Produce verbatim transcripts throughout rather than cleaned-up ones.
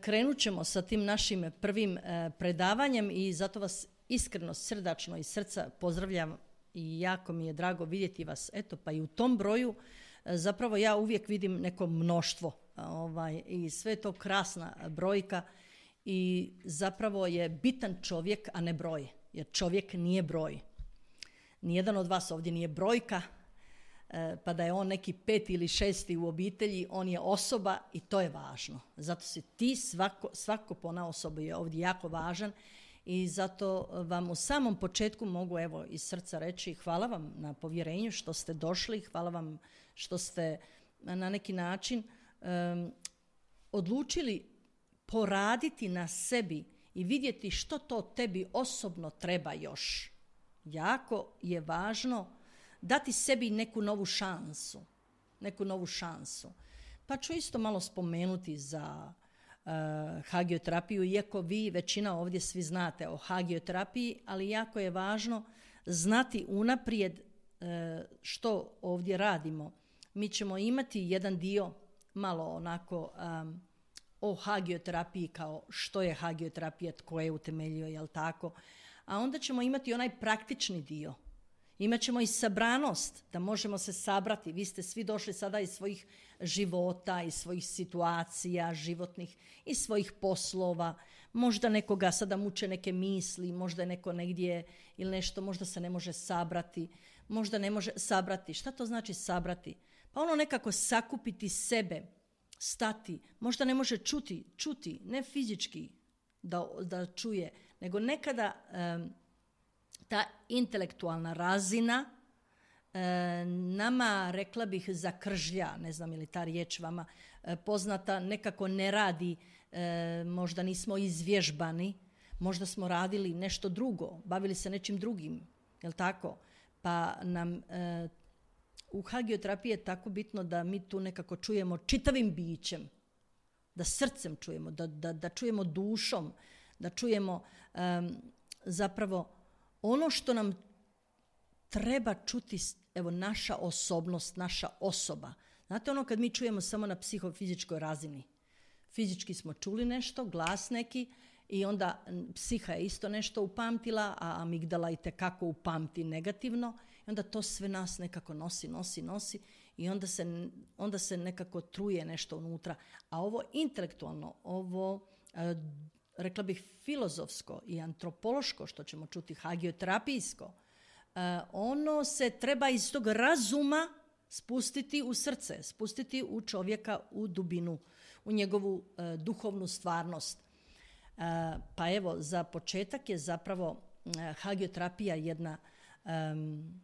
krenut ćemo sa tim našim prvim predavanjem i zato vas iskreno, srdačno iz srca pozdravljam i jako mi je drago vidjeti vas. Eto, pa i u tom broju zapravo ja uvijek vidim neko mnoštvo ovaj, i sve je to krasna brojka i zapravo je bitan čovjek, a ne broj, jer čovjek nije broj. Nijedan od vas ovdje nije brojka, pa da je on neki peti ili šesti u obitelji, on je osoba i to je važno. Zato si ti, svako, svako ponaosob je ovdje jako važan i zato vam u samom početku mogu evo iz srca reći hvala vam na povjerenju što ste došli, hvala vam što ste na neki način um, odlučili poraditi na sebi i vidjeti što to tebi osobno treba još. Jako je važno dati sebi neku novu šansu, neku novu šansu. Pa ću isto malo spomenuti za uh, hagioterapiju, iako vi većina ovdje svi znate o hagioterapiji, ali jako je važno znati unaprijed uh, što ovdje radimo. Mi ćemo imati jedan dio malo onako um, o hagioterapiji kao što je hagioterapija, tko je utemeljio, jel tako? A onda ćemo imati onaj praktični dio. Imaćemo i sabranost, da možemo se sabrati. Vi ste svi došli sada iz svojih života, iz svojih situacija životnih, iz svojih poslova. Možda nekoga sada muče neke misli, možda je neko negdje ili nešto, možda se ne može sabrati, možda ne može sabrati. Šta to znači sabrati? Pa ono nekako sakupiti sebe, stati, možda ne može čuti, čuti, ne fizički da, da čuje, nego nekada um, ta intelektualna razina e, nama, rekla bih, zakržlja, ne znam je li ta riječ vama e, poznata, nekako ne radi, e, možda nismo izvježbani, možda smo radili nešto drugo, bavili se nečim drugim, jel tako? Pa nam e, u hagioterapiji je tako bitno da mi tu nekako čujemo čitavim bićem, da srcem čujemo, da, da, da čujemo dušom, da čujemo e, zapravo ono što nam treba čuti, evo, naša osobnost, naša osoba. Znate ono kad mi čujemo samo na psihofizičkoj razini. Fizički smo čuli nešto, glas neki i onda psiha je isto nešto upamtila, a amigdala i tekako upamti negativno i onda to sve nas nekako nosi, nosi, nosi i onda se, onda se nekako truje nešto unutra. A ovo intelektualno, ovo rekla bih filozofsko i antropološko, što ćemo čuti hagioterapijsko, ono se treba iz tog razuma spustiti u srce, spustiti u čovjeka u dubinu, u njegovu duhovnu stvarnost. Pa evo, za početak je zapravo hagioterapija jedna um,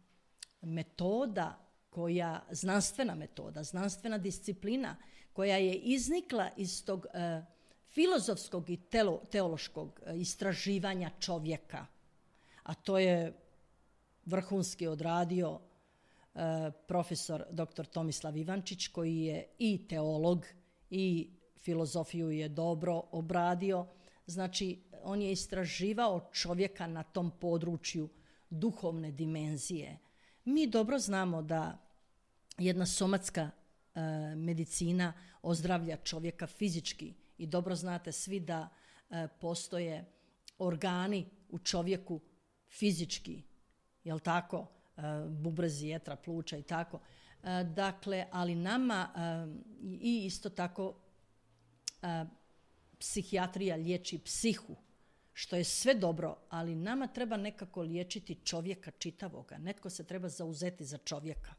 metoda koja, znanstvena metoda, znanstvena disciplina koja je iznikla iz tog uh, filozofskog i telo, teološkog istraživanja čovjeka. A to je vrhunski odradio uh, profesor doktor Tomislav Ivančić, koji je i teolog i filozofiju je dobro obradio. Znači, on je istraživao čovjeka na tom području duhovne dimenzije. Mi dobro znamo da jedna somatska uh, medicina ozdravlja čovjeka fizički i dobro znate svi da uh, postoje organi u čovjeku fizički, jel tako, uh, bubrezi, jetra, pluća i tako. Uh, dakle, ali nama uh, i isto tako uh, psihijatrija liječi psihu, što je sve dobro, ali nama treba nekako liječiti čovjeka čitavoga. Netko se treba zauzeti za čovjeka.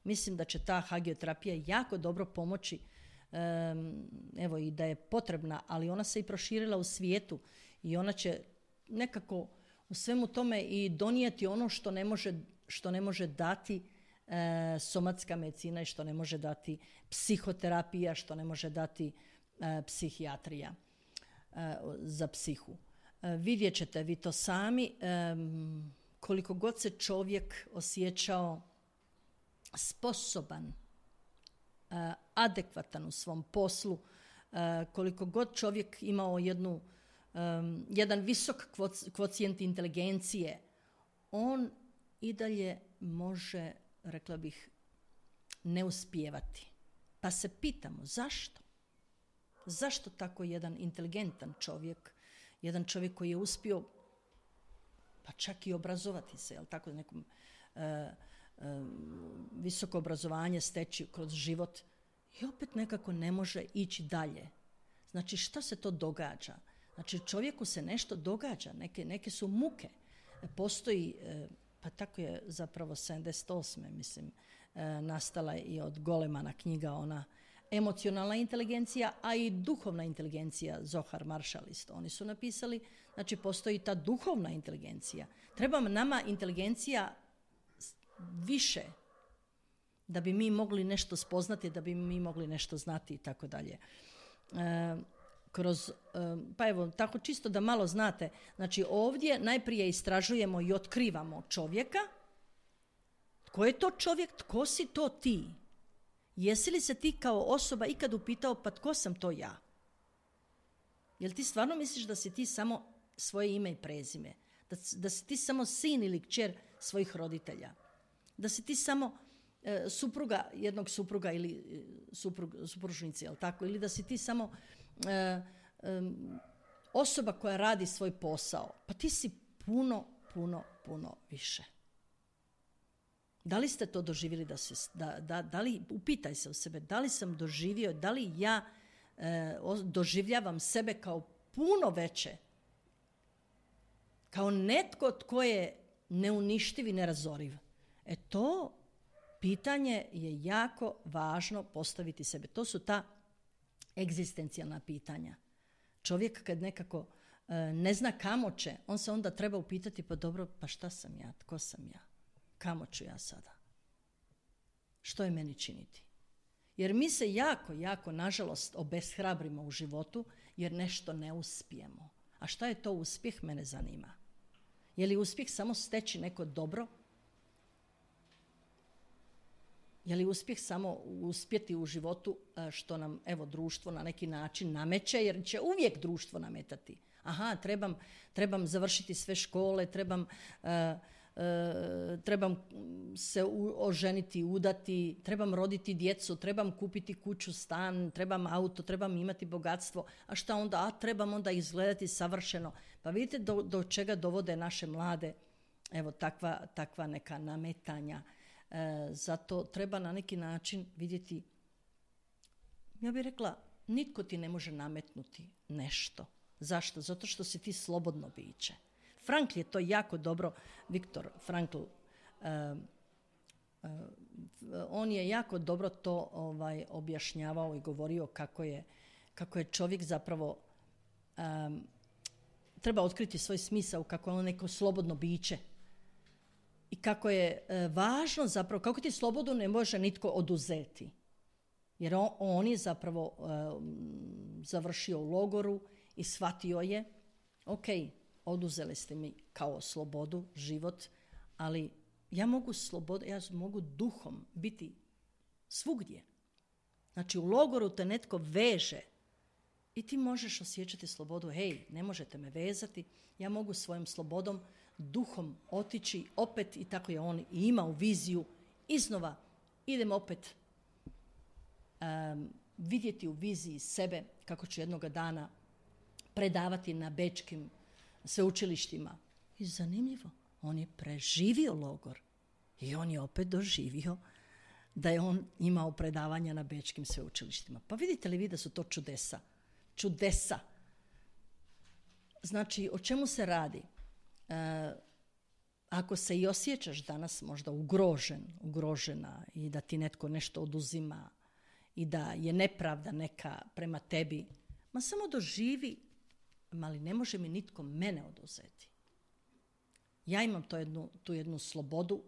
Mislim da će ta hagioterapija jako dobro pomoći, um, evo i da je potrebna, ali ona se i proširila u svijetu i ona će nekako u svemu tome i donijeti ono što ne može, što ne može dati uh, somatska medicina i što ne može dati psihoterapija, što ne može dati uh, psihijatrija uh, za psihu. Uh, vidjet ćete vi to sami, um, koliko god se čovjek osjećao sposoban, uh, adekvatan u svom poslu, uh, koliko god čovjek imao jednu, um, jedan visok kvocijent inteligencije, on i dalje može, rekla bih, ne uspijevati. Pa se pitamo zašto? Zašto tako jedan inteligentan čovjek, jedan čovjek koji je uspio pa čak i obrazovati se, jel tako, nekom e, e, visoko obrazovanje steći kroz život i opet nekako ne može ići dalje. Znači, šta se to događa? Znači, čovjeku se nešto događa, neke, neke su muke. Postoji, e, pa tako je zapravo sedamdeset osme mislim, e, nastala i od Golemana knjiga, ona emocionalna inteligencija, a i duhovna inteligencija, Zohar Marshall isto. Oni su napisali, znači postoji ta duhovna inteligencija. Treba nama inteligencija više da bi mi mogli nešto spoznati, da bi mi mogli nešto znati i tako dalje. Kroz, pa evo, tako čisto da malo znate, znači ovdje najprije istražujemo i otkrivamo čovjeka. Tko je to čovjek? Tko si to ti? Jesi li se ti kao osoba ikad upitao, pa tko sam to ja? Jel ti stvarno misliš da si ti samo svoje ime i prezime? Da, da si ti samo sin ili kćer svojih roditelja? Da si ti samo e, supruga jednog supruga ili e, suprug, supružnici, jel tako? Ili da si ti samo e, e, osoba koja radi svoj posao? Pa ti si puno, puno, puno više. Da li ste to doživjeli da se, da, da, da li, upitaj se u sebe, da li sam doživio, da li ja e, doživljavam sebe kao puno veće, kao netko tko je neuništiv i nerazoriv. E to pitanje je jako važno postaviti sebe. To su ta egzistencijalna pitanja. Čovjek kad nekako e, ne zna kamo će, on se onda treba upitati, pa dobro, pa šta sam ja, tko sam ja? Kamo ću ja sada? Što je meni činiti? Jer mi se jako, jako, nažalost, obeshrabrimo u životu jer nešto ne uspijemo. A šta je to uspjeh, mene zanima. Je li uspjeh samo steći neko dobro? Je li uspjeh samo uspjeti u životu što nam, evo, društvo na neki način nameće, jer će uvijek društvo nametati. Aha, trebam, trebam završiti sve škole, trebam... Uh, Uh, trebam se u, oženiti, udati, trebam roditi djecu, trebam kupiti kuću, stan, trebam auto, trebam imati bogatstvo, a šta onda? A trebam onda izgledati savršeno. Pa vidite do, do čega dovode naše mlade, evo, takva, takva neka nametanja. Uh, zato treba na neki način vidjeti, ja bih rekla, nitko ti ne može nametnuti nešto. Zašto? Zato što si ti slobodno biće. Frankl je to jako dobro, Viktor Frankl, uh, uh, on je jako dobro to ovaj, objašnjavao i govorio kako je, kako je čovjek zapravo um, treba otkriti svoj smisao, kako je on neko slobodno biće i kako je uh, važno zapravo, kako ti slobodu ne može nitko oduzeti. Jer on, on je zapravo uh, završio u logoru i shvatio je, ok, oduzeli ste mi kao slobodu, život, ali ja mogu slobodu, ja mogu duhom biti svugdje. Znači u logoru te netko veže i ti možeš osjećati slobodu. Hej, ne možete me vezati, ja mogu svojom slobodom, duhom otići opet, i tako je on imao viziju iznova. Idem opet um, vidjeti u viziji sebe kako ću jednoga dana predavati na bečkim sveučilištima. I zanimljivo, on je preživio logor i on je opet doživio da je on imao predavanja na bečkim sveučilištima. Pa vidite li vi da su to čudesa? Čudesa. Znači, o čemu se radi? E, ako se i osjećaš danas možda ugrožen, ugrožena i da ti netko nešto oduzima i da je nepravda neka prema tebi, ma samo doživi, ali ne može mi nitko mene oduzeti. Ja imam to jednu, tu jednu slobodu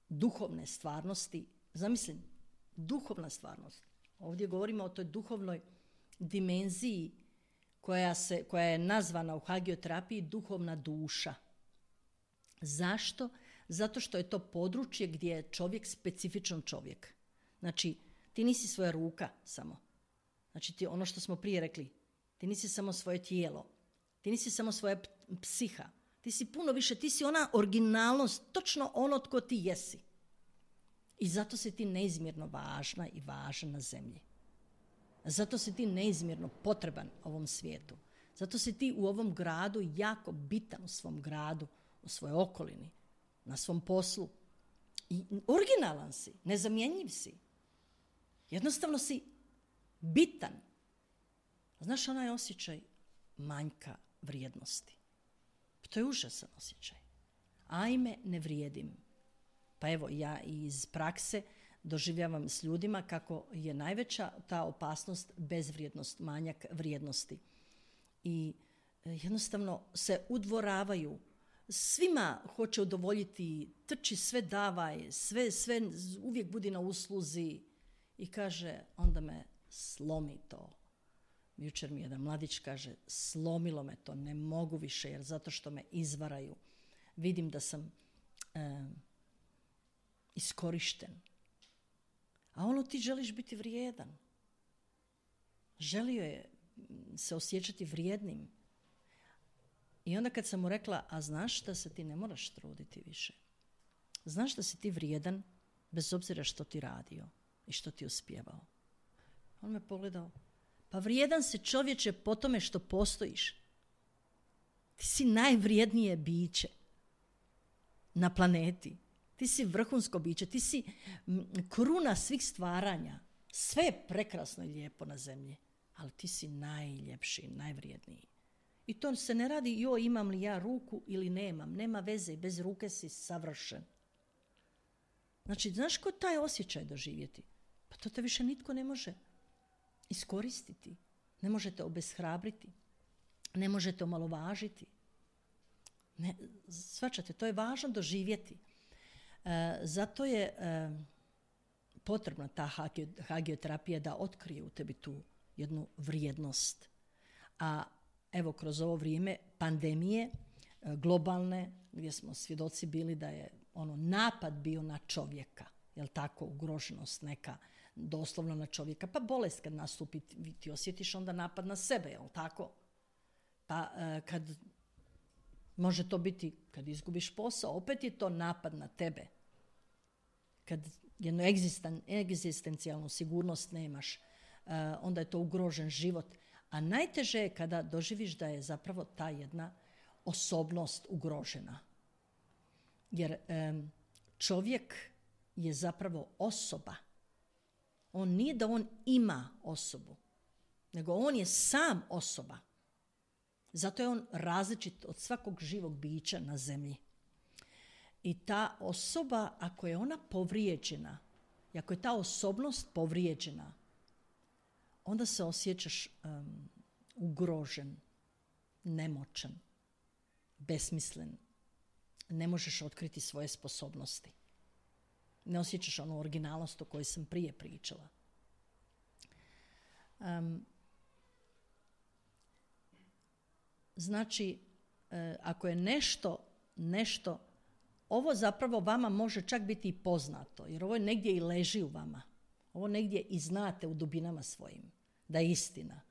duhovne stvarnosti. Zamislim, duhovna stvarnost. Ovdje govorimo o toj duhovnoj dimenziji koja, se, koja je nazvana u hagioterapiji duhovna duša. Zašto? Zato što je to područje gdje je čovjek specifičan čovjek. Znači, ti nisi svoja ruka samo. Znači, ti ono što smo prije rekli, ti nisi samo svoje tijelo, ti nisi samo svoja psiha, ti si puno više, ti si ona originalnost, točno ono tko ti jesi. I zato si ti neizmjerno važna i važna na zemlji. Zato si ti neizmjerno potreban ovom svijetu. Zato si ti u ovom gradu jako bitan u svom gradu, u svojoj okolini, na svom poslu. I originalan si, nezamjenjiv si. Jednostavno si bitan. Znaš onaj osjećaj manjka vrijednosti. To je užasan osjećaj. Ajme, ne vrijedim. Pa evo, ja iz prakse doživljavam s ljudima kako je najveća ta opasnost bezvrijednost, manjak vrijednosti. I jednostavno se udvoravaju. Svima hoće udovoljiti, trči, sve davaj, sve, sve uvijek budi na usluzi. I kaže, onda me slomi to. Jučer mi jedan mladić kaže, slomilo me to, ne mogu više jer zato što me izvaraju. Vidim da sam e, iskorišten. A ono ti želiš biti vrijedan. Želio je se osjećati vrijednim. I onda kad sam mu rekla, a znaš da se ti ne moraš truditi više. Znaš da si ti vrijedan bez obzira što ti radio i što ti uspjevao. On me pogledao. Pa vrijedan si čovječe po tome što postojiš. Ti si najvrijednije biće na planeti. Ti si vrhunsko biće. Ti si kruna svih stvaranja. Sve je prekrasno i lijepo na zemlji. Ali ti si najljepši, najvrijedniji. I to se ne radi, joj, imam li ja ruku ili nemam. Nema veze, bez ruke si savršen. Znači, znaš ko taj osjećaj doživjeti? Pa to te više nitko ne može iskoristiti. Ne možete obeshrabriti. Ne možete omalovažiti. Ne, shvaćate, to je važno doživjeti. E, zato je e, potrebna ta hagioterapija da otkrije u tebi tu jednu vrijednost. A evo, kroz ovo vrijeme pandemije, globalne, gdje smo svjedoci bili da je ono napad bio na čovjeka, jel tako, ugroženost neka, doslovno na čovjeka, pa bolest kad nastupi, ti osjetiš onda napad na sebe, jel tako? Pa kad, može to biti kad izgubiš posao, opet je to napad na tebe. Kad jednu egzisten, egzistencijalnu sigurnost nemaš, onda je to ugrožen život. A najteže je kada doživiš da je zapravo ta jedna osobnost ugrožena. Jer um, čovjek je zapravo osoba. On nije da on ima osobu, nego on je sam osoba. Zato je on različit od svakog živog bića na zemlji. I ta osoba, ako je ona povrijeđena, i ako je ta osobnost povrijeđena, onda se osjećaš um, ugrožen, nemoćan, besmislen. Ne možeš otkriti svoje sposobnosti. Ne osjećaš onu originalnost o kojoj sam prije pričala. Um, znači, e, ako je nešto, nešto, ovo zapravo vama može čak biti i poznato, jer ovo negdje i leži u vama. Ovo negdje i znate u dubinama svojim, da je istina.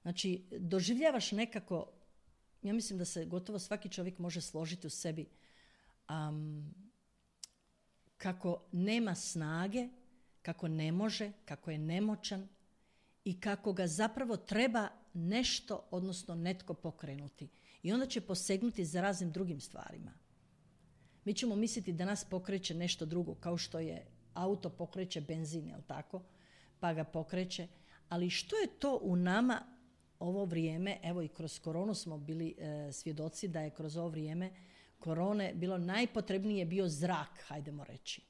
Znači, doživljavaš nekako, ja mislim da se gotovo svaki čovjek može složiti u sebi, um, kako nema snage, kako ne može, kako je nemoćan i kako ga zapravo treba nešto, odnosno netko pokrenuti. I onda će posegnuti za raznim drugim stvarima. Mi ćemo misliti da nas pokreće nešto drugo, kao što je auto pokreće benzin, jel tako? Pa ga pokreće. Ali što je to u nama ovo vrijeme, evo i kroz koronu smo bili e, svjedoci da je kroz ovo vrijeme korone bilo najpotrebnije bio zrak, hajdemo reći.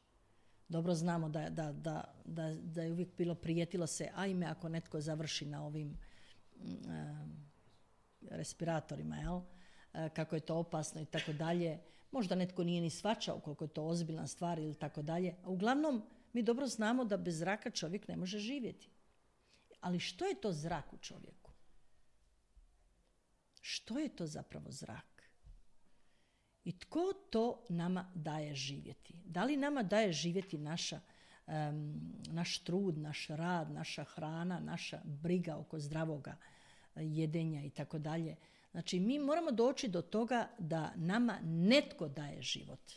Dobro znamo da, da, da, da, da je uvijek bilo prijetilo se, ajme ako netko završi na ovim e, respiratorima, jel? E, kako je to opasno i tako dalje. Možda netko nije ni shvaćao koliko je to ozbiljna stvar ili tako dalje. A uglavnom, mi dobro znamo da bez zraka čovjek ne može živjeti. Ali što je to zrak u čovjeku? Što je to zapravo zrak? I tko to nama daje živjeti? Da li nama daje živjeti naša, um, naš trud, naš rad, naša hrana, naša briga oko zdravoga jedenja i tako dalje? Znači, mi moramo doći do toga da nama netko daje život.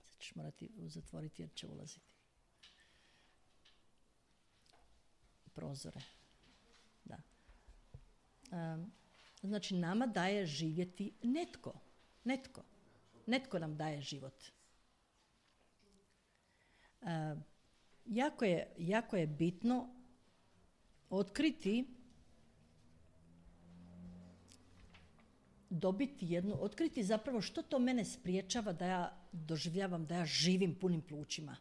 Sad ćeš morati zatvoriti jer će ulaziti. prozore. Da. Um, znači, nama daje živjeti netko. Netko. Netko nam daje život. Um, jako je, jako je bitno otkriti, dobiti jednu, otkriti zapravo što to mene spriječava da ja doživljavam, da ja živim punim plućima,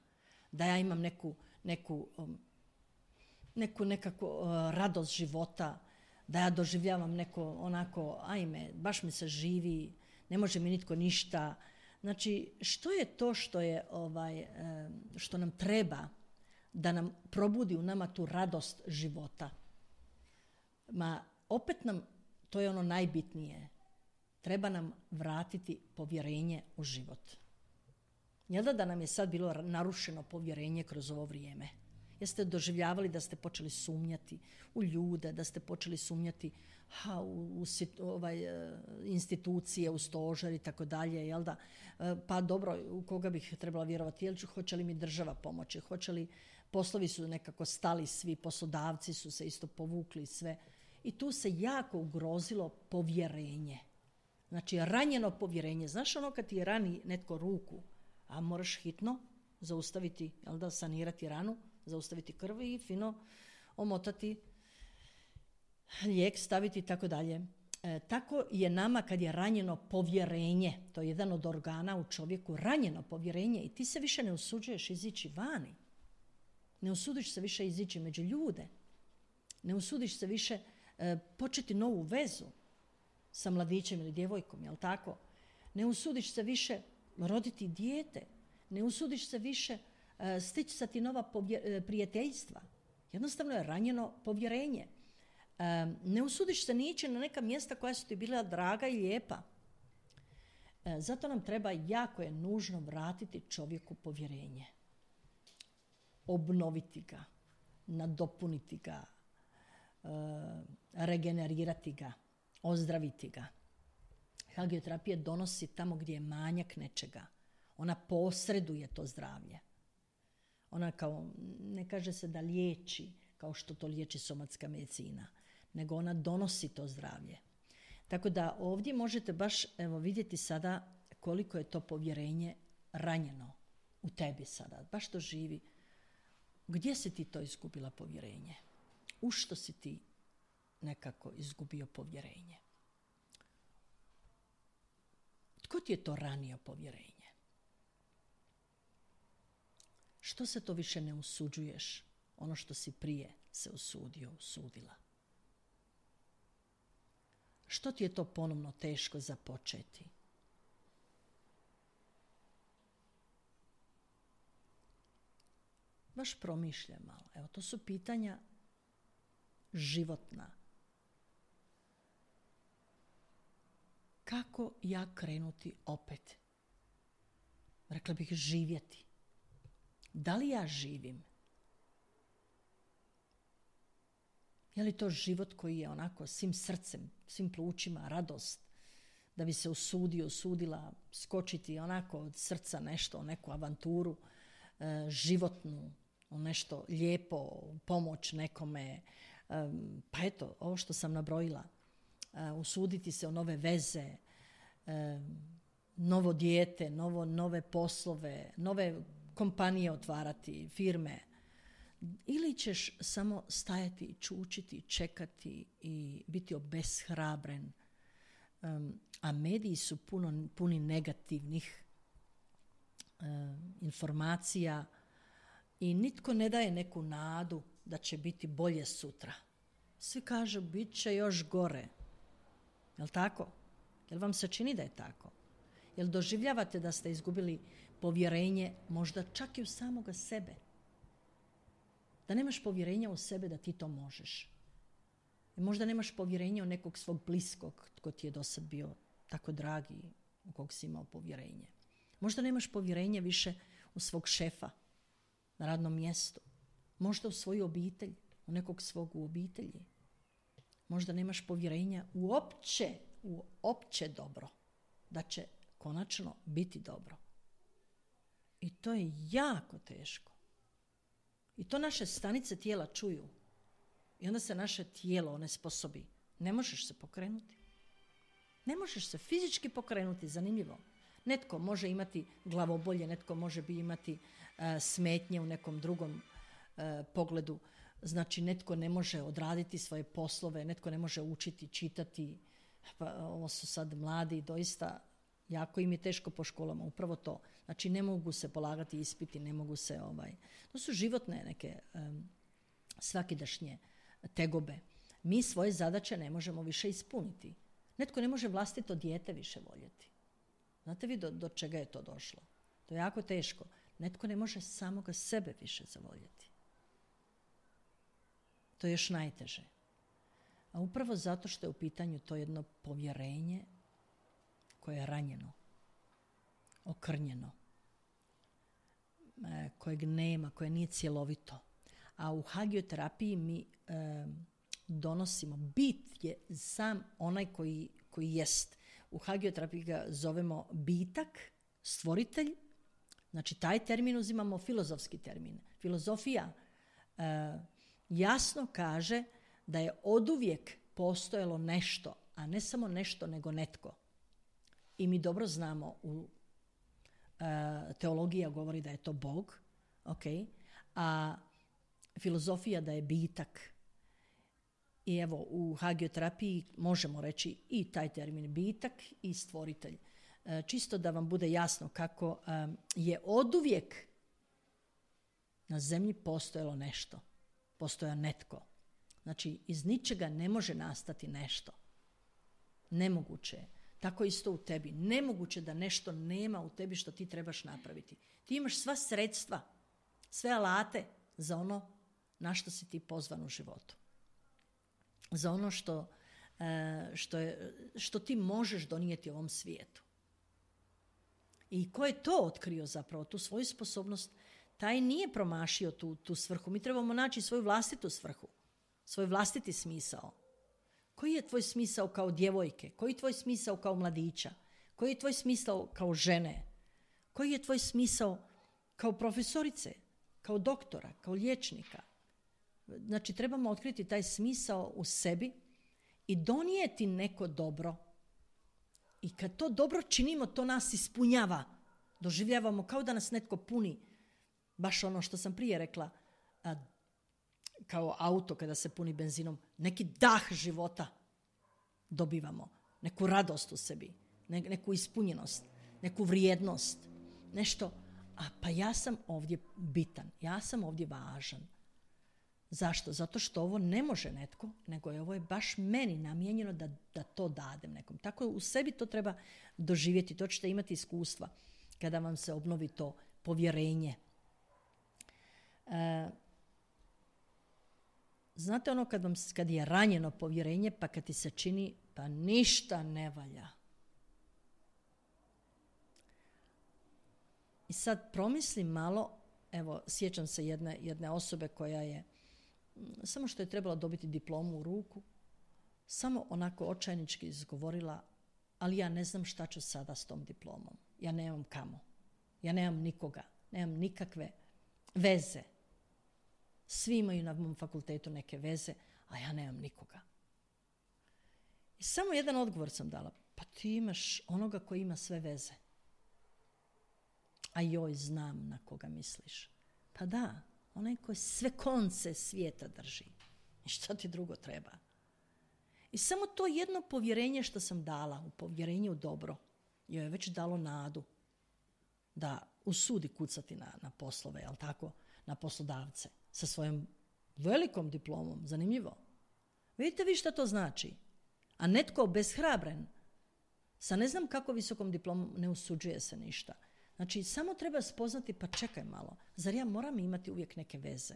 da ja imam neku, neku, um, neku nekako uh, radost života, da ja doživljavam neko onako, ajme, baš mi se živi, ne može mi nitko ništa. Znači, što je to što je ovaj, um, što nam treba da nam probudi u nama tu radost života? Ma, opet nam, to je ono najbitnije, treba nam vratiti povjerenje u život. Jel da, da nam je sad bilo narušeno povjerenje kroz ovo vrijeme? Jeste doživljavali da ste počeli sumnjati u ljude, da ste počeli sumnjati ha, u, u ovaj, institucije, u stožer i tako dalje, jel da? Pa dobro, u koga bih trebala vjerovati? Jel ću, hoće li mi država pomoći? Hoće li, poslovi su nekako stali svi, poslodavci su se isto povukli sve. I tu se jako ugrozilo povjerenje. Znači, ranjeno povjerenje. Znaš ono kad ti rani netko ruku, a moraš hitno zaustaviti, jel da, sanirati ranu, zaustaviti krv i fino omotati lijek, staviti i tako dalje. E, tako je nama kad je ranjeno povjerenje, to je jedan od organa u čovjeku, ranjeno povjerenje i ti se više ne usuđuješ izići vani. Ne usudiš se više izići među ljude. Ne usudiš se više e, početi novu vezu sa mladićem ili djevojkom, jel tako? Ne usudiš se više roditi dijete. Ne usudiš se više e, sticati nova povje, e, prijateljstva. Jednostavno je ranjeno povjerenje. E, ne usudiš se ni ići na neka mjesta koja su ti bila draga i lijepa. E, zato nam treba, jako je nužno vratiti čovjeku povjerenje. Obnoviti ga, nadopuniti ga, e, regenerirati ga, ozdraviti ga. Hagioterapija donosi tamo gdje je manjak nečega. Ona posreduje to zdravlje. Ona kao, ne kaže se da liječi kao što to liječi somatska medicina, nego ona donosi to zdravlje. Tako da ovdje možete baš evo, vidjeti sada koliko je to povjerenje ranjeno u tebi sada. Baš to živi. Gdje si ti to izgubila povjerenje? U što si ti nekako izgubio povjerenje? Tko ti je to ranio povjerenje? Što se to više ne usuđuješ? Ono što si prije se usudio, usudila. Što ti je to ponovno teško započeti? Baš promišljaj malo. Evo, to su pitanja životna. Kako ja krenuti opet? Rekla bih živjeti. Da li ja živim? Je li to život koji je onako svim srcem, svim plućima, radost, da bi se usudio, usudila skočiti onako od srca nešto, neku avanturu e, životnu, nešto lijepo, pomoć nekome. E, pa eto, ovo što sam nabrojila. E, usuditi se o nove veze, e, novo dijete, novo, nove poslove, nove kompanije otvarati, firme. Ili ćeš samo stajati, čučiti, čekati i biti obeshrabren. Um, a mediji su puno, puni negativnih um, informacija i nitko ne daje neku nadu da će biti bolje sutra. Svi kažu bit će još gore. Jel' tako? Jel' vam se čini da je tako? Jel' doživljavate da ste izgubili povjerenje možda čak i u samoga sebe? Da nemaš povjerenja u sebe da ti to možeš. I možda nemaš povjerenja u nekog svog bliskog tko ti je do sad bio tako dragi, u kog si imao povjerenje. Možda nemaš povjerenja više u svog šefa na radnom mjestu. Možda u svoju obitelj, u nekog svog u obitelji. Možda nemaš povjerenja u opće, u opće dobro, da će konačno biti dobro. I to je jako teško. I to naše stanice tijela čuju. I onda se naše tijelo onesposobi. Ne možeš se pokrenuti. Ne možeš se fizički pokrenuti, zanimljivo. Netko može imati glavobolje, netko može bi imati uh, smetnje u nekom drugom uh, pogledu. Znači, netko ne može odraditi svoje poslove, netko ne može učiti, čitati. Pa, ovo su sad mladi, doista jako im je teško po školama, upravo to. Znači, ne mogu se polagati ispiti, ne mogu se... ovaj. To su životne neke um, svakidašnje tegobe. Mi svoje zadaće ne možemo više ispuniti. Netko ne može vlastito dijete više voljeti. Znate vi do, do čega je to došlo? To je jako teško. Netko ne može samoga sebe više zavoljeti. To je još najteže. A upravo zato što je u pitanju to jedno povjerenje koje je ranjeno, okrnjeno, kojeg nema, koje nije cjelovito. A u hagioterapiji mi e, donosimo, bit je sam onaj koji, koji jest. U hagioterapiji ga zovemo bitak, stvoritelj. Znači, taj termin uzimamo filozofski termin. Filozofija e, jasno kaže da je oduvijek postojalo nešto, a ne samo nešto, nego netko. I mi dobro znamo, u e, teologija govori da je to Bog, okay, a filozofija da je bitak. I evo, u hagioterapiji možemo reći i taj termin bitak i stvoritelj. E, čisto da vam bude jasno kako e, je oduvijek na zemlji postojalo nešto. Postoja netko. Znači, iz ničega ne može nastati nešto. Nemoguće je. Tako isto u tebi. Nemoguće da nešto nema u tebi što ti trebaš napraviti. Ti imaš sva sredstva, sve alate za ono na što si ti pozvan u životu. Za ono što, što, je, što ti možeš donijeti ovom svijetu. I ko je to otkrio zapravo, tu svoju sposobnost, taj nije promašio tu, tu svrhu. Mi trebamo naći svoju vlastitu svrhu, svoj vlastiti smisao. Koji je tvoj smisao kao djevojke? Koji je tvoj smisao kao mladića? Koji je tvoj smisao kao žene? Koji je tvoj smisao kao profesorice, kao doktora, kao liječnika? Znači, trebamo otkriti taj smisao u sebi i donijeti neko dobro. I kad to dobro činimo, to nas ispunjava. Doživljavamo kao da nas netko puni. Baš ono što sam prije rekla, a, kao auto kada se puni benzinom. Neki dah života dobivamo. Neku radost u sebi. Ne, neku ispunjenost. Neku vrijednost. Nešto. A pa ja sam ovdje bitan. Ja sam ovdje važan. Zašto? Zato što ovo ne može netko, nego je ovo je baš meni namijenjeno da, da to dadem nekom. Tako u sebi to treba doživjeti, to ćete imati iskustva kada vam se obnovi to povjerenje. E, znate ono kad, vam, kad je ranjeno povjerenje, pa kad ti se čini pa ništa ne valja. I sad promislim malo, evo sjećam se jedne, jedne osobe koja je samo što je trebala dobiti diplomu u ruku, samo onako očajnički izgovorila, ali ja ne znam šta ću sada s tom diplomom. Ja nemam kamo. Ja nemam nikoga. Nemam nikakve veze. Svi imaju na mom fakultetu neke veze, a ja nemam nikoga. I samo jedan odgovor sam dala. Pa ti imaš onoga koji ima sve veze. A joj, znam na koga misliš. Pa da, onaj koji sve konce svijeta drži. I šta ti drugo treba? I samo to jedno povjerenje što sam dala, u povjerenje u dobro, joj je već dalo nadu da usudi kucati na, na poslove, jel tako, na poslodavce, sa svojom velikom diplomom. Zanimljivo. Vidite vi šta to znači? A netko obeshrabren, sa ne znam kako visokom diplomom, ne usuđuje se ništa. Znači, samo treba spoznati, pa čekaj malo, zar ja moram imati uvijek neke veze?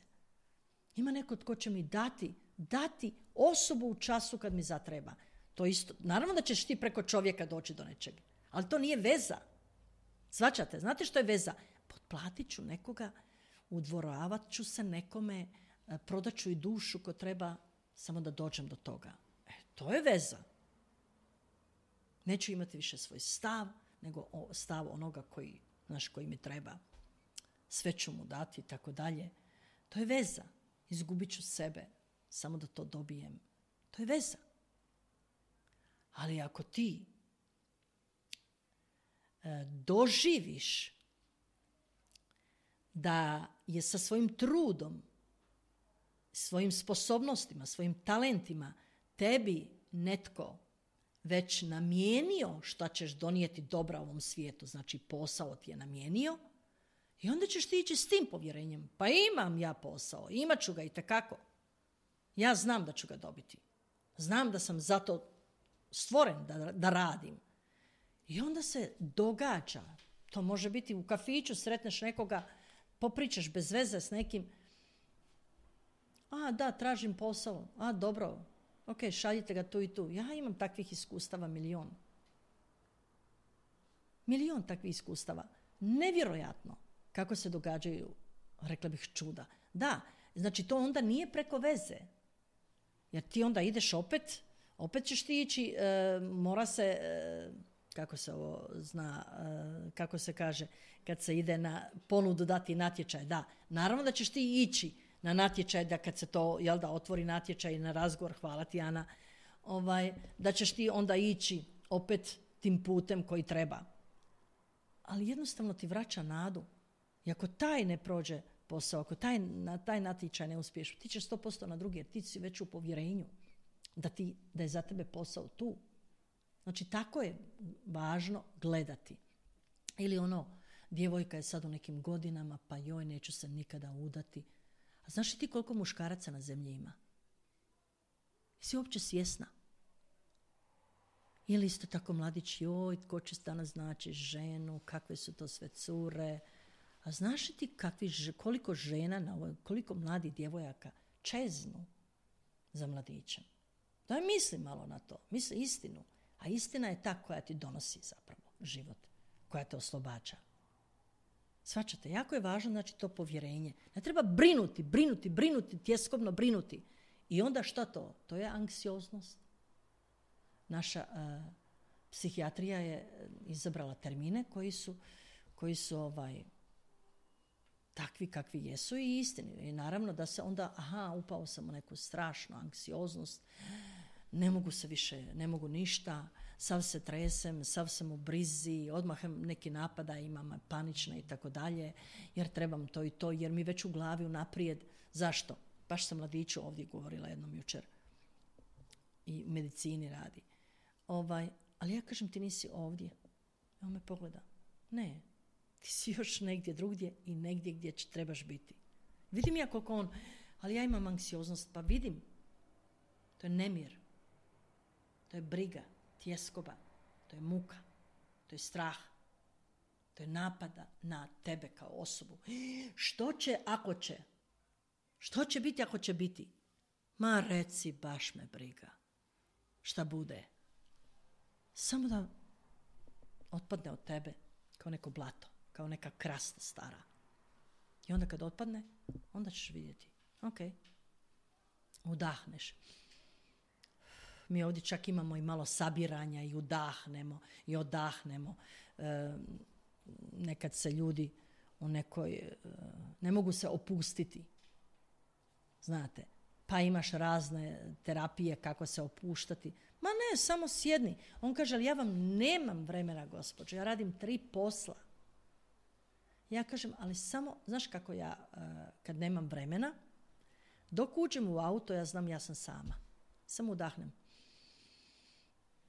Ima neko tko će mi dati, dati osobu u času kad mi zatreba. To isto, naravno da ćeš ti preko čovjeka doći do nečeg, ali to nije veza. Shvaćate? Znate što je veza? Potplatit ću nekoga, udvoravat ću se nekome, prodat ću i dušu ko treba, samo da dođem do toga. E, to je veza. Neću imati više svoj stav, nego stav onoga koji, znaš, koji mi treba. Sve ću mu dati i tako dalje. To je veza. Izgubit ću sebe. samo da to dobijem. To je veza. Ali ako ti e, doživiš da je sa svojim trudom, svojim sposobnostima, svojim talentima tebi netko već namijenio šta ćeš donijeti dobra ovom svijetu, znači posao ti je namijenio, i onda ćeš ti ići s tim povjerenjem. Pa imam ja posao, imat ću ga itekako. Ja znam da ću ga dobiti. Znam da sam zato stvoren da, da radim. I onda se događa. To može biti u kafiću, sretneš nekoga, popričaš bez veze s nekim. A, da, tražim posao. A, dobro. Ok, šaljite ga tu i tu. Ja imam takvih iskustava milion. Milion takvih iskustava. Nevjerojatno kako se događaju, rekla bih, čuda. Da, znači to onda nije preko veze. Jer ti onda ideš opet, opet ćeš ti ići, e, mora se, e, kako se ovo zna, e, kako se kaže, kad se ide na ponudu dati natječaj. Da, naravno da ćeš ti ići na natječaj, da kad se to, jel da, otvori natječaj na razgovor, hvala ti Ana, ovaj, da ćeš ti onda ići opet tim putem koji treba. Ali jednostavno ti vraća nadu. I ako taj ne prođe posao, ako taj, na taj natječaj ne uspiješ, ti ćeš sto posto na drugi, jer ti si već u povjerenju da, ti, da je za tebe posao tu. Znači, tako je važno gledati. Ili ono, djevojka je sad u nekim godinama, pa joj, neću se nikada udati. A znaš li ti koliko muškaraca na zemlji ima? Jesi uopće svjesna? Ili isto tako mladić, joj, tko će danas znači ženu, kakve su to sve cure. A znaš li ti kakvi, koliko žena, na ovoj, koliko mladih djevojaka čeznu za mladićem? Daj misli malo na to, misli istinu. A istina je ta koja ti donosi zapravo život, koja te oslobađa. Shvaćate, jako je važno, znači, to povjerenje. Ne treba brinuti, brinuti, brinuti, tjeskobno brinuti. I onda šta to? To je anksioznost. Naša uh, psihijatrija je izabrala termine koji su, koji su ovaj, takvi kakvi jesu i istini. I naravno da se onda, aha, upao sam u neku strašnu anksioznost, ne mogu se više, ne mogu ništa, sav se tresem, sav sam u brizi, odmah neki napada imam, panične i tako dalje, jer trebam to i to, jer mi već u glavi unaprijed. Zašto? Baš sam mladiću ovdje govorila jednom jučer i medicini radi. Ovaj, ali ja kažem, ti nisi ovdje. On me pogleda. Ne, ti si još negdje drugdje i negdje gdje trebaš biti. Vidim ja koliko on, ali ja imam anksioznost, pa vidim. To je nemir. To je briga, tjeskoba, to je muka, to je strah, to je napada na tebe kao osobu. Što će ako će? Što će biti ako će biti? Ma reci, baš me briga. Šta bude? Samo da otpadne od tebe kao neko blato, kao neka krasta stara. I onda kad otpadne, onda ćeš vidjeti. Ok, udahneš. Mi ovdje čak imamo i malo sabiranja i udahnemo i odahnemo. E, nekad se ljudi u nekoj, e, ne mogu se opustiti. Znate, pa imaš razne terapije kako se opuštati. Ma ne, samo sjedni. On kaže, ali ja vam nemam vremena, gospođo, ja radim tri posla. Ja kažem, ali samo, znaš kako ja, e, kad nemam vremena, dok uđem u auto, ja znam, ja sam sama. Samo udahnem.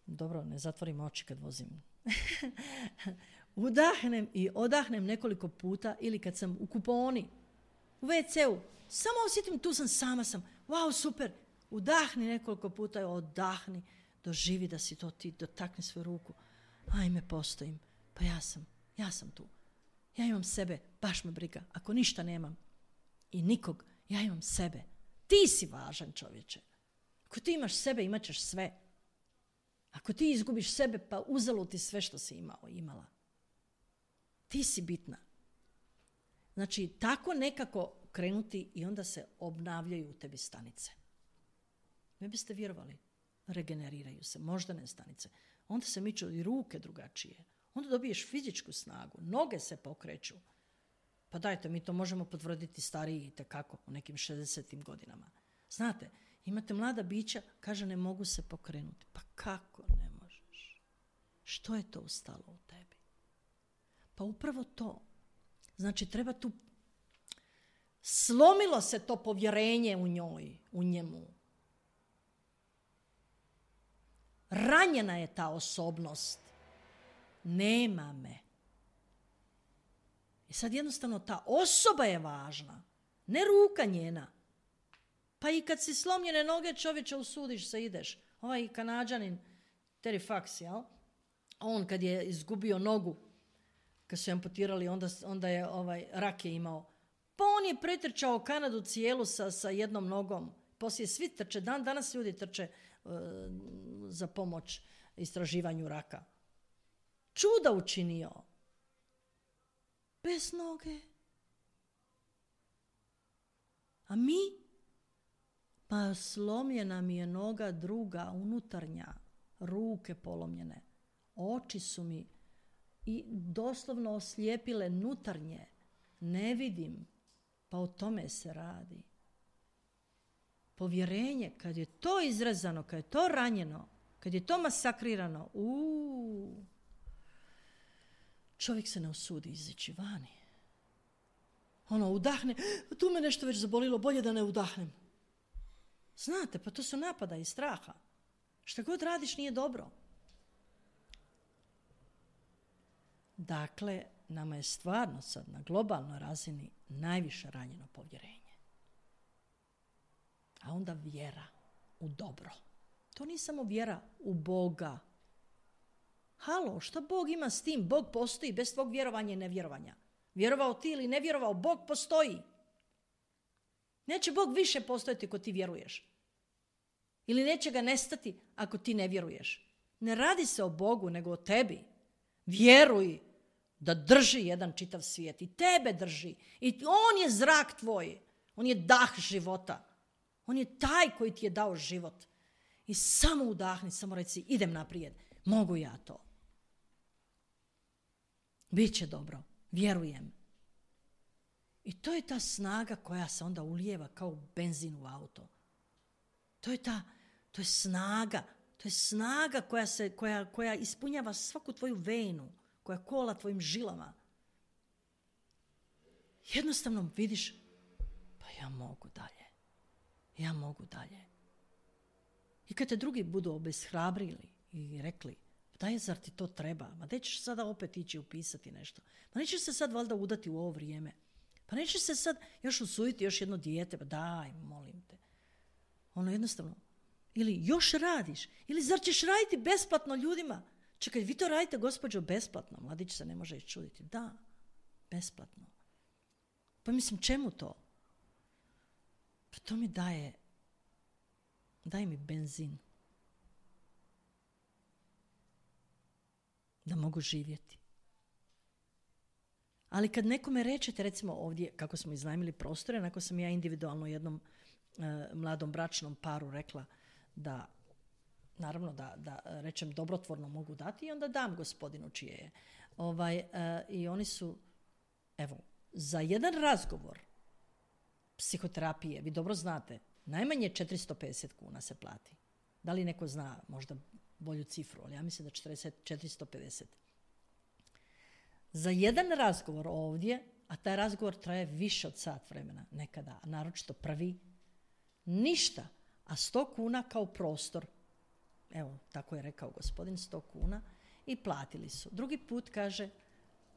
Dobro, ne zatvorim oči kad vozim. Udahnem i odahnem nekoliko puta, ili kad sam u kuponi, u ve ce u, samo osjetim, tu sam, sama sam. Wow, super. Udahni nekoliko puta i odahni. Doživi da si to ti, dotakni svoju ruku. Ajme, postojim. Pa ja sam, ja sam tu. Ja imam sebe, baš me briga. Ako ništa nemam i nikog, ja imam sebe. Ti si važan, čovječe. Ako ti imaš sebe, imat ćeš sve. Ako ti izgubiš sebe, pa uzelo ti sve što si imao, imala. Ti si bitna. Znači, tako nekako krenuti i onda se obnavljaju u tebi stanice. Ne biste vjerovali. Regeneriraju se moždane stanice. Onda se miču i ruke drugačije. Onda dobiješ fizičku snagu. Noge se pokreću. Pa dajte, mi to možemo potvrditi stariji itekako u nekim šezdesetim godinama. Znate, Imate mlada bića, kaže ne mogu se pokrenuti. Pa kako ne možeš? Što je to ustalo u tebi? Pa upravo to. Znači treba tu, slomilo se to povjerenje u njoj, u njemu. Ranjena je ta osobnost. Nema me. I sad jednostavno ta osoba je važna, ne ruka njena. Pa i kad si slomljene noge, čovječe, usudiš se, ideš. Ovaj Kanađanin, Terry Fox, jel? On kad je izgubio nogu, kad su amputirali, onda, onda je ovaj, rak je imao. Pa on je pretrčao Kanadu cijelu sa, sa jednom nogom. Poslije svi trče, dan danas ljudi trče uh, za pomoć istraživanju raka. Čuda učinio. Bez noge. A mi? Pa slomljena mi je noga druga, unutarnja, ruke polomljene. Oči su mi i doslovno oslijepile nutarnje. Ne vidim. Pa o tome se radi. Povjerenje, kad je to izrezano, kad je to ranjeno, kad je to masakrirano, uuu, čovjek se ne usudi izići vani. Ono, udahne, tu me nešto već zabolilo, bolje da ne udahnem. Znate, pa to su napada i straha. Šta god radiš nije dobro. Dakle, nama je stvarno sad na globalnoj razini najviše ranjeno povjerenje. A onda vjera u dobro. To nije samo vjera u Boga. Halo, šta Bog ima s tim? Bog postoji bez tvog vjerovanja i nevjerovanja. Vjerovao ti ili ne vjerovao, Bog postoji. Neće Bog više postojati ako ti vjeruješ. Ili neće ga nestati ako ti ne vjeruješ. Ne radi se o Bogu, nego o tebi. Vjeruj da drži jedan čitav svijet. I tebe drži. I on je zrak tvoj. On je dah života. On je taj koji ti je dao život. I samo udahni, samo reci, idem naprijed. Mogu ja to. Biće dobro. Vjerujem. I to je ta snaga koja se onda ulijeva kao benzin u auto. To je ta, to je snaga. To je snaga koja, se, koja, koja ispunjava svaku tvoju venu, koja kola tvojim žilama. Jednostavno vidiš, pa ja mogu dalje. Ja mogu dalje. I kad te drugi budu obeshrabrili i rekli, daj, zar ti to treba? Ma gdje ćeš sada opet ići upisati nešto? Pa nećeš se sad valjda udati u ovo vrijeme? Pa nećeš se sad još usuditi još jedno dijete? Pa daj, molim te. Ono jednostavno. Ili još radiš? Ili zar ćeš raditi besplatno ljudima? Čekaj, vi to radite, gospođo, besplatno. Mladić se ne može iščuditi. Da, besplatno. Pa mislim, čemu to? Pa to mi daje, daje mi benzin. Da mogu živjeti. Ali kad nekome rečete, recimo ovdje, kako smo iznajmili prostore, onako sam ja individualno jednom e, mladom bračnom paru rekla da, naravno da, da rečem dobrotvorno mogu dati i onda dam gospodinu čije je. Ovaj, e, I oni su, evo, za jedan razgovor psihoterapije, vi dobro znate, najmanje četiristo pedeset kuna se plati. Da li neko zna možda bolju cifru, ali ja mislim da četrdeset, četiristo pedeset. Za jedan razgovor ovdje, a taj razgovor traje više od sat vremena nekada, a naročito prvi, ništa, a sto kuna kao prostor. Evo, tako je rekao gospodin, sto kuna i platili su. Drugi put kaže,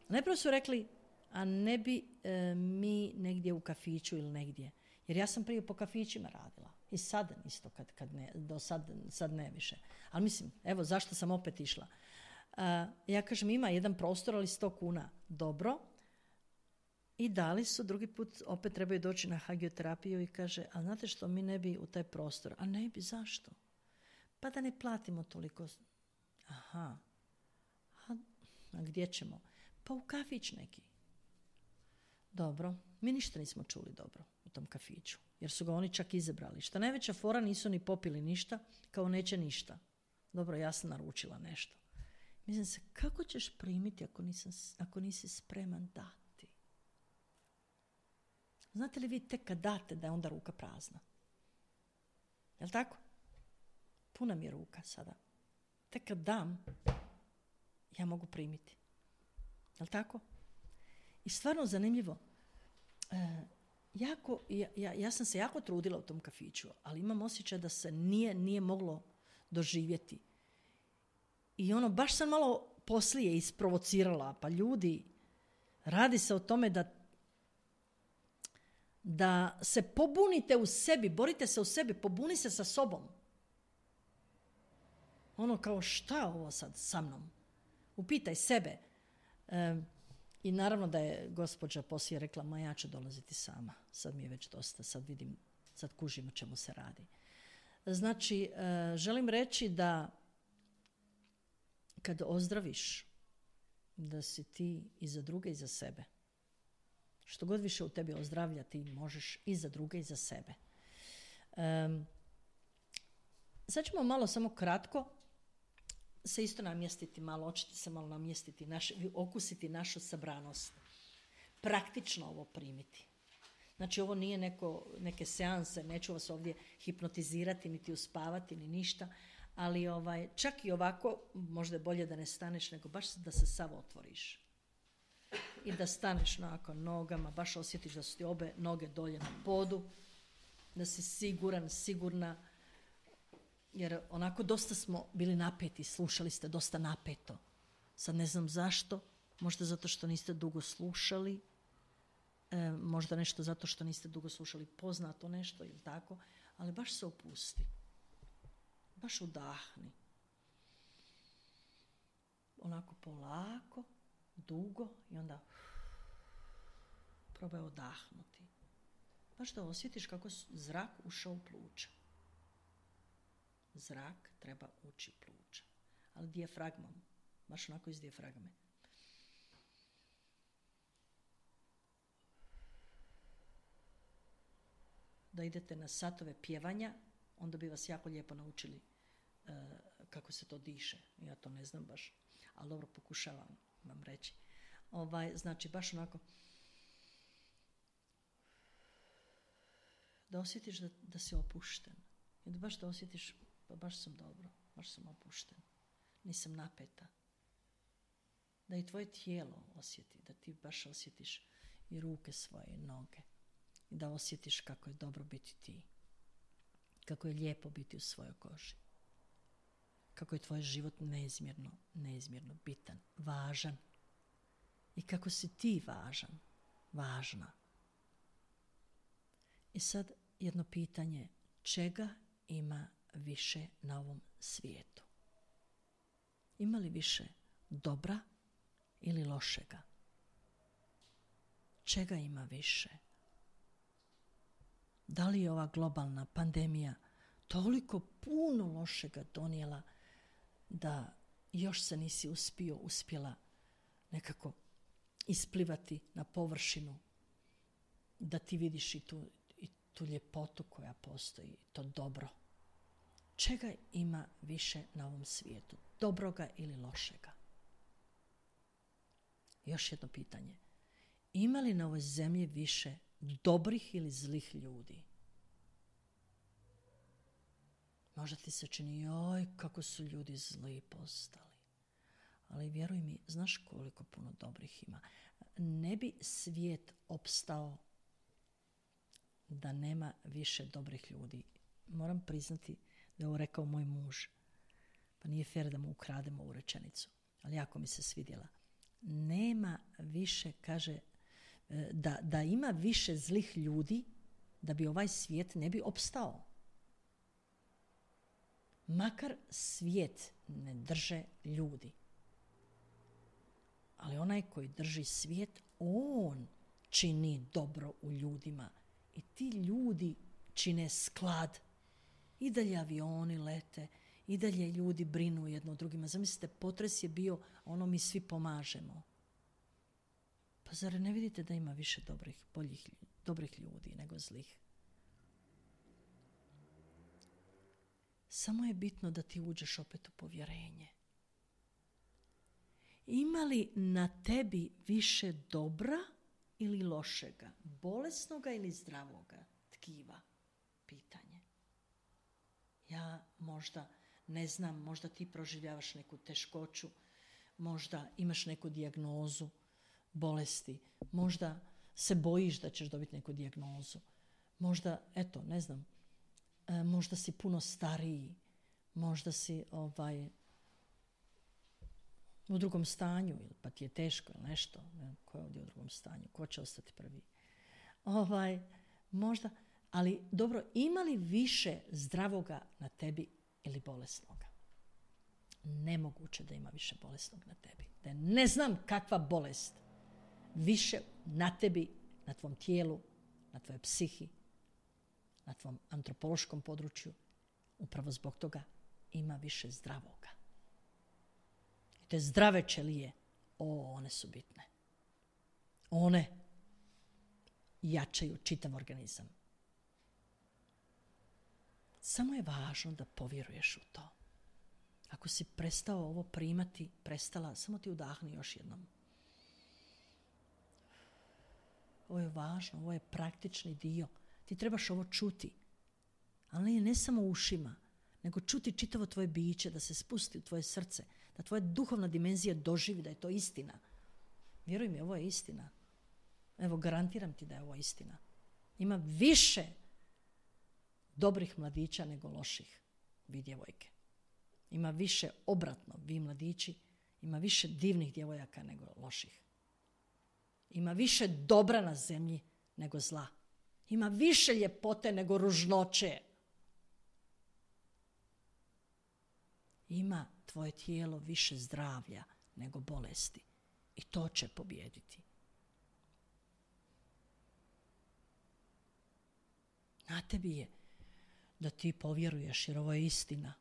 najprije su rekli, a ne bi e, mi negdje u kafiću ili negdje. Jer ja sam prije po kafićima radila. I sad isto, kad, kad ne, do sad, sad ne više. Ali mislim, evo zašto sam opet išla. Uh, ja kažem, ima jedan prostor, ali sto kuna. Dobro. I dali su, drugi put opet trebaju doći na hagioterapiju i kaže, a znate što, mi ne bi u taj prostor. A ne bi, zašto? Pa da ne platimo toliko. Aha. A, a gdje ćemo? Pa u kafić neki. Dobro. Mi ništa nismo čuli dobro u tom kafiću. Jer su ga oni čak izabrali. Šta najveća fora, nisu ni popili ništa, kao neće ništa. Dobro, ja sam naručila nešto. Mislim se, kako ćeš primiti ako, nisam, ako nisi spreman dati? Znate li vi tek kad date da je onda ruka prazna? Jel' tako? Puna mi je ruka sada. Tek kad dam, ja mogu primiti. Jel' tako? I stvarno zanimljivo. E, jako, ja, ja, ja sam se jako trudila u tom kafiću, ali imam osjećaj da se nije, nije moglo doživjeti. I ono, baš sam malo poslije isprovocirala. Pa ljudi, radi se o tome da da se pobunite u sebi, borite se u sebi, pobuni se sa sobom. Ono kao, šta ovo sad sa mnom? Upitaj sebe. E, I naravno da je gospođa poslije rekla, ma ja ću dolaziti sama. Sad mi je već dosta, sad vidim, sad kužim o čemu se radi. Znači, e, želim reći da kad ozdraviš, da si ti i za druge i za sebe. Što god više u tebi ozdravlja, ti možeš i za druge i za sebe. Um, sad ćemo malo, samo kratko, se isto namjestiti malo, očiti se malo namjestiti, naš, okusiti našu sabranost. Praktično ovo primiti. Znači, ovo nije neko, neke seanse, neću vas ovdje hipnotizirati, niti uspavati, ni ništa, ali ovaj, čak i ovako, možda je bolje da ne staneš, nego baš da se sav otvoriš. I da staneš nakon nogama, baš osjetiš da su ti obe noge dolje na podu, da si siguran, sigurna, jer onako dosta smo bili napeti, slušali ste dosta napeto. Sad ne znam zašto, možda zato što niste dugo slušali, e, možda nešto zato što niste dugo slušali poznato nešto ili tako, ali baš se opusti. Baš udahni. Onako polako, dugo i onda probaj odahnuti. Baš da osjetiš kako zrak ušao u pluća. Zrak treba ući u pluća. Ali dijafragmom. Baš onako iz dijafragme. Da idete na satove pjevanja, onda bi vas jako lijepo naučili uh, kako se to diše. Ja to ne znam baš, ali dobro pokušavam vam reći. Ovaj, znači, baš onako da osjetiš da, da si opušten. I da baš da osjetiš, pa baš sam dobro, baš sam opušten. Nisam napeta. Da i tvoje tijelo osjeti, da ti baš osjetiš i ruke svoje, i noge. I da osjetiš kako je dobro biti ti. Kako je lijepo biti u svojoj koži. Kako je tvoj život neizmjerno, neizmjerno bitan, važan. I kako si ti važan, važna. I sad jedno pitanje, čega ima više na ovom svijetu? Ima li više dobra ili lošega? Čega ima više? Da li je ova globalna pandemija toliko puno lošega donijela da još se nisi uspio, uspjela nekako isplivati na površinu, da ti vidiš i tu, i tu ljepotu koja postoji, to dobro. Čega ima više na ovom svijetu? Dobroga ili lošega? Još jedno pitanje. Ima li na ovoj zemlji više dobrih ili zlih ljudi? Možda ti se čini, joj, kako su ljudi zli postali. Ali vjeruj mi, znaš koliko puno dobrih ima. Ne bi svijet opstao da nema više dobrih ljudi. Moram priznati da je ovo rekao moj muž. Pa nije fair da mu ukrademo ovu rečenicu. Ali jako mi se svidjela. Nema više, kaže, da, da ima više zlih ljudi da bi ovaj svijet ne bi opstao. Makar svijet ne drže ljudi. Ali onaj koji drži svijet, on čini dobro u ljudima. I ti ljudi čine sklad. I dalje avioni lete, i dalje ljudi brinu jedno o drugima. Zamislite, potres je bio, ono mi svi pomažemo. Pa zar ne vidite da ima više dobrih, boljih, dobrih ljudi nego zlih? Samo je bitno da ti uđeš opet u povjerenje. Ima li na tebi više dobra ili lošega? Bolesnoga ili zdravoga tkiva? Pitanje. Ja možda ne znam, možda ti proživljavaš neku teškoću, možda imaš neku dijagnozu bolesti, možda se bojiš da ćeš dobiti neku dijagnozu, možda, eto, ne znam, e, možda si puno stariji, možda si ovaj, u drugom stanju, pa ti je teško ili nešto, ne, ko je ovdje u drugom stanju, ko će ostati prvi. Ovaj, možda, ali dobro, ima li više zdravoga na tebi ili bolesnoga? Nemoguće da ima više bolesnog na tebi. Da ne znam kakva bolest više na tebi, na tvom tijelu, na tvojoj psihi, na tvom antropološkom području, upravo zbog toga ima više zdravoga. I te zdrave ćelije, o, one su bitne. One jačaju čitav organizam. Samo je važno da povjeruješ u to. Ako si prestao ovo primati, prestala, samo ti udahni još jednom. Ovo je važno, ovo je praktični dio. Ti trebaš ovo čuti. Ali ne samo ušima, nego čuti čitavo tvoje biće, da se spusti u tvoje srce, da tvoja duhovna dimenzija doživi da je to istina. Vjeruj mi, ovo je istina. Evo, garantiram ti da je ovo istina. Ima više dobrih mladića nego loših, vi djevojke. Ima više obratno, vi mladići, ima više divnih djevojaka nego loših. Ima više dobra na zemlji nego zla. Ima više ljepote nego ružnoće. Ima tvoje tijelo više zdravlja nego bolesti. I to će pobijediti. Na tebi je da ti povjeruješ, jer ovo je istina.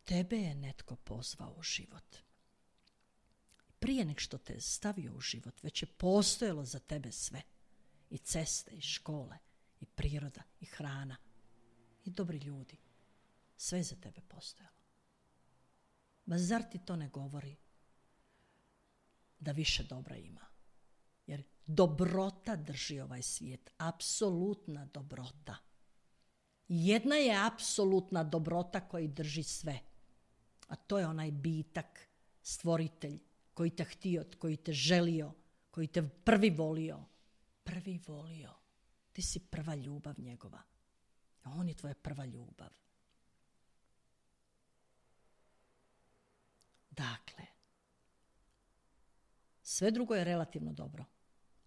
Tebe je netko pozvao u život. Prije nek što te stavio u život, već je postojalo za tebe sve. I ceste, i škole, i priroda, i hrana, i dobri ljudi. Sve je za tebe postojalo. Ma zar ti to ne govori da više dobra ima? Jer dobrota drži ovaj svijet. Apsolutna dobrota. Jedna je apsolutna dobrota koji drži sve. A to je onaj bitak, stvoritelj, koji te htio, koji te želio, koji te prvi volio. Prvi volio. Ti si prva ljubav njegova. On je tvoja prva ljubav. Dakle, sve drugo je relativno dobro.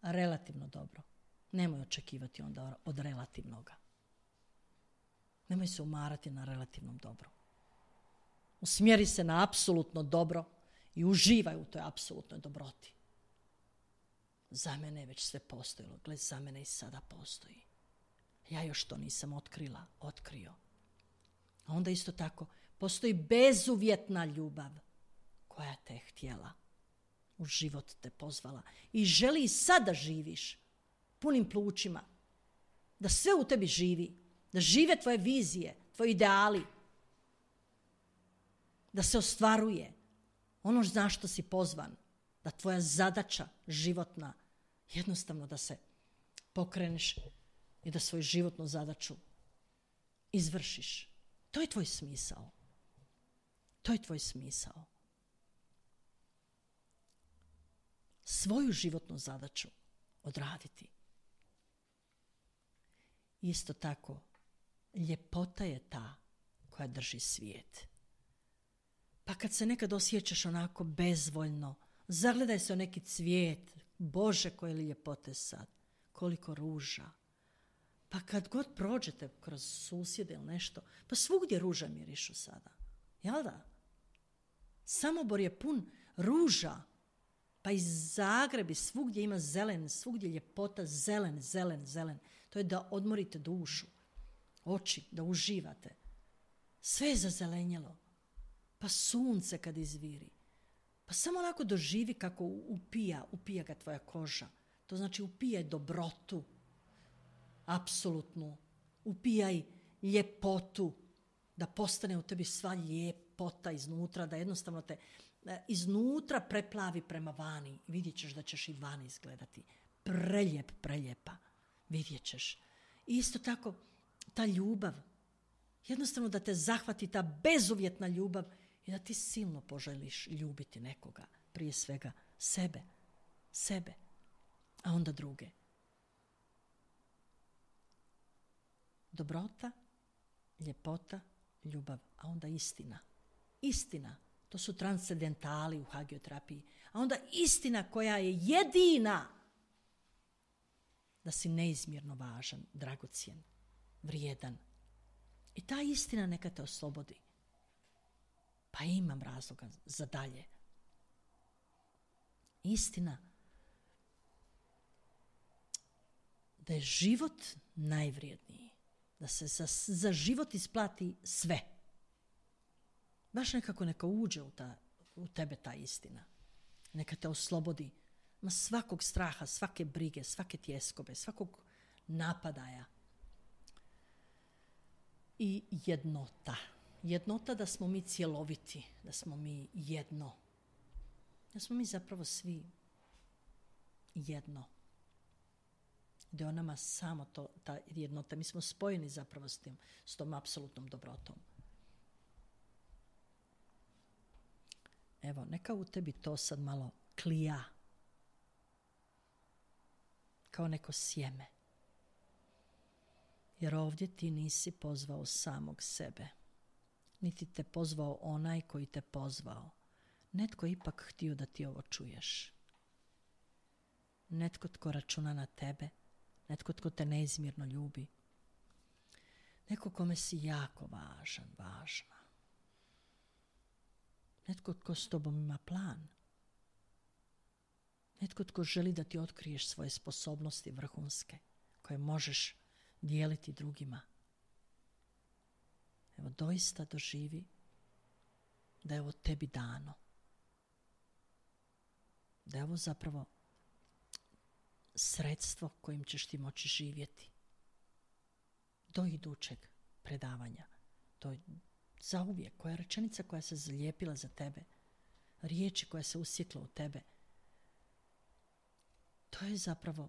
Relativno dobro. Nemoj očekivati onda od relativnoga. Nemoj se umarati na relativnom dobru. Usmjeri se na apsolutno dobro i uživaj u toj apsolutnoj dobroti. Za mene je već sve postojalo. Gle, za mene i sada postoji. Ja još to nisam otkrila, otkrio. A onda isto tako postoji bezuvjetna ljubav koja te je htjela. U život te pozvala. I želi i sada živiš punim plućima. Da sve u tebi živi. Da žive tvoje vizije, tvoji ideali. Da se ostvaruje ono na što si pozvan. Da tvoja zadaća životna, jednostavno da se pokreneš i da svoju životnu zadaću izvršiš. To je tvoj smisao. To je tvoj smisao. Svoju životnu zadaću odraditi. Isto tako, ljepota je ta koja drži svijet. Pa kad se nekad osjećaš onako bezvoljno, zagledaj se u neki cvijet. Bože, koje li ljepote sad. Koliko ruža. Pa kad god prođete kroz susjede ili nešto, pa svugdje ruža mirišu sada. Jel da? Samobor je pun ruža. Pa i Zagreb i svugdje ima zelen, svugdje ljepota, zelen, zelen, zelen. To je da odmorite dušu, oči, da uživate. Sve je zazelenjelo. Pa sunce kad izviri. Pa samo onako doživi kako upija, upija ga tvoja koža. To znači upijaj dobrotu, apsolutnu. Upijaj ljepotu, da postane u tebi sva ljepota iznutra, da jednostavno te iznutra preplavi prema vani. Vidjet ćeš da ćeš i vani izgledati. Preljep, preljepa. Vidjet ćeš. Isto tako, ta ljubav. Jednostavno da te zahvati ta bezuvjetna ljubav i da ti silno poželiš ljubiti nekoga. Prije svega sebe. Sebe. A onda druge. Dobrota, ljepota, ljubav, a onda istina. Istina. To su transcendentali u hagioterapiji. A onda istina koja je jedina da si neizmjerno važan, dragocjen, vrijedan. I ta istina neka te oslobodi. Pa imam razloga za dalje. Istina da je život najvrijedniji. Da se za, za život isplati sve. Baš nekako neka uđe u, ta, u tebe ta istina. Neka te oslobodi ma svakog straha, svake brige, svake tjeskobe, svakog napadaja. I jednota. Jednota da smo mi cjeloviti, da smo mi jedno. Da smo mi zapravo svi jedno. Da je o nama samo to, ta jednota. Mi smo spojeni zapravo s tim, s tom apsolutnom dobrotom. Evo, neka u tebi to sad malo klija. Kao neko sjeme. Jer ovdje ti nisi pozvao samog sebe. Niti te pozvao onaj koji te pozvao. Netko je ipak htio da ti ovo čuješ. Netko tko računa na tebe. Netko tko te neizmjerno ljubi. Neko kome si jako važan, važna. Netko tko s tobom ima plan. Netko tko želi da ti otkriješ svoje sposobnosti vrhunske, koje možeš dijeliti drugima. Evo, doista doživi da je ovo tebi dano. Da je ovo zapravo sredstvo kojim ćeš ti moći živjeti. Do idućeg predavanja. To je zauvijek, koja je rečenica koja se zalijepila za tebe. Riječi koja se usjekla u tebe. To je zapravo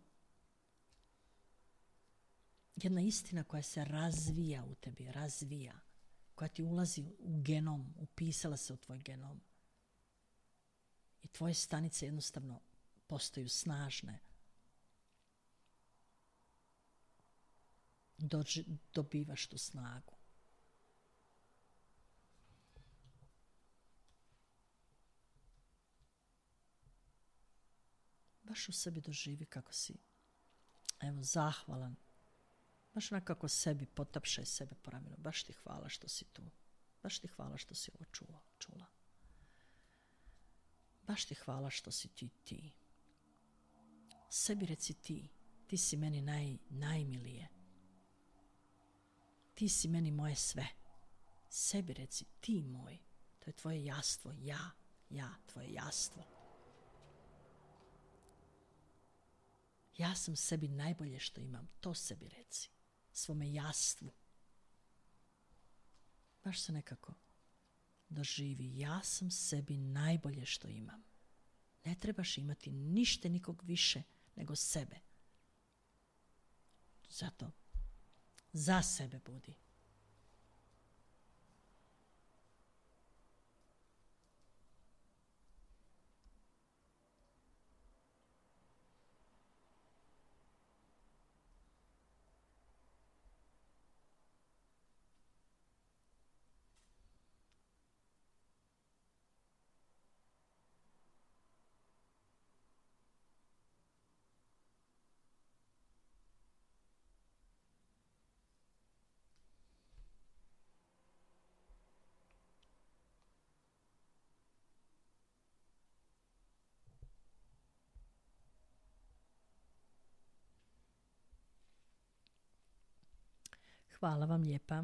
jedna istina koja se razvija u tebi, razvija. Koja ti ulazi u genom, upisala se u tvoj genom. I tvoje stanice jednostavno postaju snažne. Dođi, dobivaš tu snagu. Baš u sebi doživi kako si, evo, zahvalan. Baš onako sebi potapšaj sebe po ramenu. Baš ti hvala što si tu. Baš ti hvala što si ovo čuo, čula. Baš ti hvala što si ti ti. Sebi reci ti. Ti si meni naj, najmilije. Ti si meni moje sve. Sebi reci ti moj. To je tvoje jastvo. Ja, ja, tvoje jastvo. Ja sam sebi najbolje što imam. To sebi reci. Svome jastvu. Baš se nekako doživi. Ja sam sebi najbolje što imam. Ne trebaš imati ništa nikog više nego sebe. Zato za sebe budi. Hvala vam lijepa.